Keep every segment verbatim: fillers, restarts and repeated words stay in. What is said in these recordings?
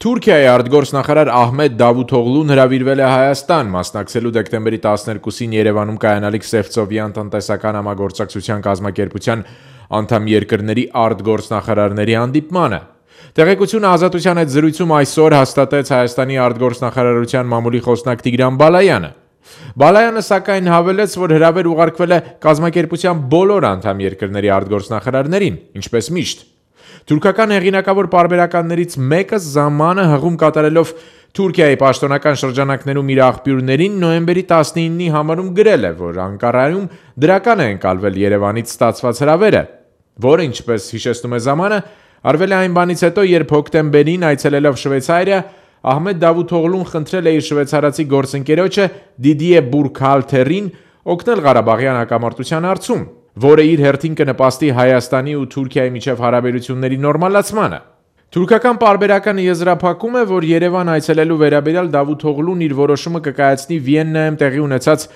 Թուրքիայի արտգործնախարար Ահմեդ Դավութօղլուն հրավիրվել է Հայաստան, մասնակցելու դեկտեմբերի տասներկուսին Երևանում կայանալիք Սևծովյան տնտեսական համագործակցության կազմակերպության անդամ երկրների արտգործնախարարների հանդիպմանը։ Տեղեկությունը Ազատության հետ զրույցում այսօր հաստատեց Հայաստանի արտգործնախարարության մամուլի խոսնակ Տիգրան Բալայանը։ Բալայանը սակայն հավելեց, որ հրավեր ուղարկվել է կազմակերպության բոլոր անդամ երկրների արտգործնախարարներին, ինչպես միշտ։ Թուրքական հեղինակավոր պարբերականներից մեկը ժամանը հղում կատարելով Թուրքիայի պաշտոնական շրջանակներում իր աղբյուրներին նոյեմբերի տասնինի համարում գրել է, որ Անկարայում դրական է ընկալվել Երևանից ստացված հրավերը, որը, ինչպես հիշեցնում է ժամանը, արվել է այն բանից հետո, երբ հոկտեմբերին այցելելով Շվեյցարիա, Ահմեդ Դավութօղլուն խնդրել է իր շվեյցարացի գործընկերոջը Դիդիե Բուրքհալթերին օգնել Ղարաբաղյան հակամարտության հարցում, որը իր հերթին կնպաստի Հայաստանի ու Թուրքիայի միջև հարաբերությունների նորմալացմանը։ Թուրքական պարբերականը եզրափակում է, որ Երևան այցելելու վերաբերյալ Դավութօղլուն իր որոշումը կկայացնի Վիեննայում տեղի ունեցած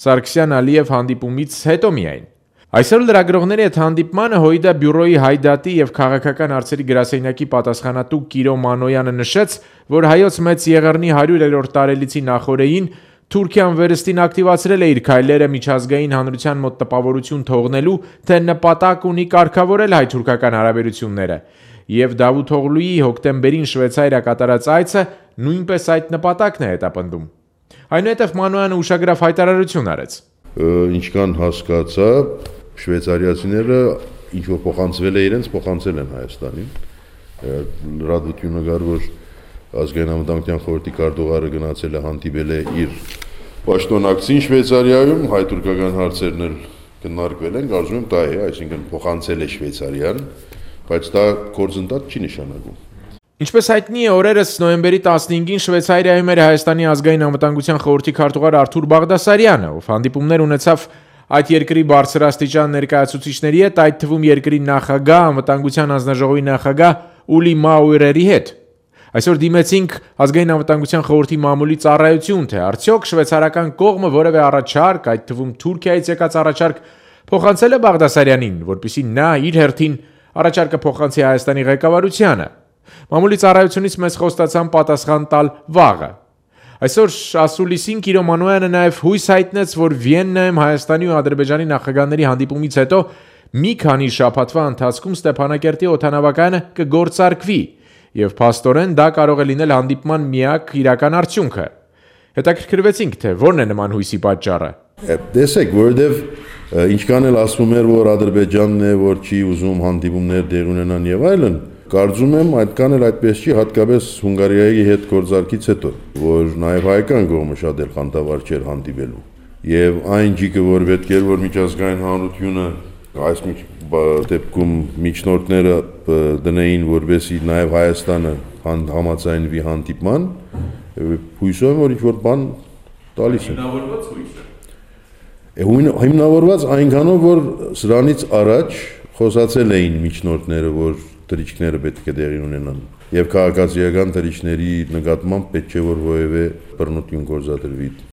Սարգսյան-Ալիև հանդիպումից հետո միայն։ Այսօր լրագրողների հետ հանդիպմանը ՀՅԴ բյուրոյի Հայդատի և քաղաքական հարցերի գրասենյակի պատասխանատու Կիրո Մանոյանը նշեց, որ Հայոց Մեծ Եղեռնի հարյուրերորդ տարելիցի նախօրեին Թուրքիան վերստին ակտիվացրել է իր քայլերը միջազգային հանրության մոտ տպավորություն թողնելու, թե նպատակ ունի կարգավորել հայ-թուրքական հարաբերությունները, և Դավութօղլուի հոկտեմբերին Շվեյցարիա կատարած այցը նույնպես այդ նպատակն է հետապնդում։ Այնուհետև Մանոյանը ուշագրավ հայտարարություն արեց։ Ինչքան հասկացա, շվեյցարիացիները ինչ որ փոխանցվել է իրենց, փոխանցել են Հայաստանին։ Լրատվությունը գար, որ ազգային անվտանգության խորհրդի քարտուղարը գնացել է հանդիպել է իր պաշտոնակցին Շվեյցարիայում, հայ-թուրքական հարցերն էլ քննարկվել են, կարծում եմ դա է, այսինքն փոխանցել է Շվեյցարիան, բայց դա գործընթաց չի նշանակում։ Ինչպես հայտնի է, օրերս նոյեմբերի տասնհինգին Շվեյցարիայում էր Հայաստանի ազգային անվտանգության խորհրդի քարտուղար Արթուր Բաղդասարյանը, ով հանդիպումներ ունեցավ այդ երկրի բարձրաստիճան ներկայացուցիչների հետ, այդ թվում երկրի նախագահ, անվտանգության հանձնաժողովի նախագահ Ուլի Մաուերերի հետ։ Այսօր դիմեցինք ազգային անվտանգության խորհրդի մամուլի ծառայություն, թե արդյոք շվեյցարական կողմը որևէ առաջարկ, այդ թվում Թուրքիայից եկած առաջարկ, փոխանցել է Բաղդասարյանին, որպեսզի նա իր հերթին առաջարկը փոխանցի Հայաստանի ղեկավարությանը։ Մամուլի ծառայությունից մեզ խոստացան պատասխան տալ վաղը։ Այսօր ասուլիսին Կիրո Մանոյանը նաև հույս հայտնեց, որ Վիեննայում Հայաստանի ու Ադրբեջանի նախագահների հանդիպումից հետո մի քանի շաբաթվա ընթացքում Ստեփանակերտի օդանավակայանը կգործարկվի, և փաստորեն դա կարող է լինել հանդիպման միակ իրական արդյունքը։ Հետաքրքրվեցինք, թե որն է նման հույսի պատճառը։ Տեսեք, որովհետև ինչքան էլ ասվում էր, որ Ադրբեջանն է, որ չի ուզում հանդիպումներ դեղ ունենան եւ այլն, կարծում եմ այդքան էլ այդպես չի, հատկապես Հունգարիայի հետ գործարքից հետո, որ նաև հայկական կողմը շատ էլ խանդավառ չէր հանդիպելու։ Եվ այն ջիկը, որ պետք էր, որ միջազգային հանրությունը այս դեպքում միջնորդները դնեին, որպեսզի նաև Հայաստանը համաձայնվի հանդիպման, հույսով եմ, որ ինչ-որ բան տալիս են։ Հիմնավորված հույս է։ Հիմնավորված այնքանով, որ սրանից առաջ խոսացել էին միջնորդները, որ թրիչքները պետք է տեղի ունենան, եւ քաղաքացիական թրիչքների նկատմամբ պետք չէ որ որևէ բռնություն գործադրվի։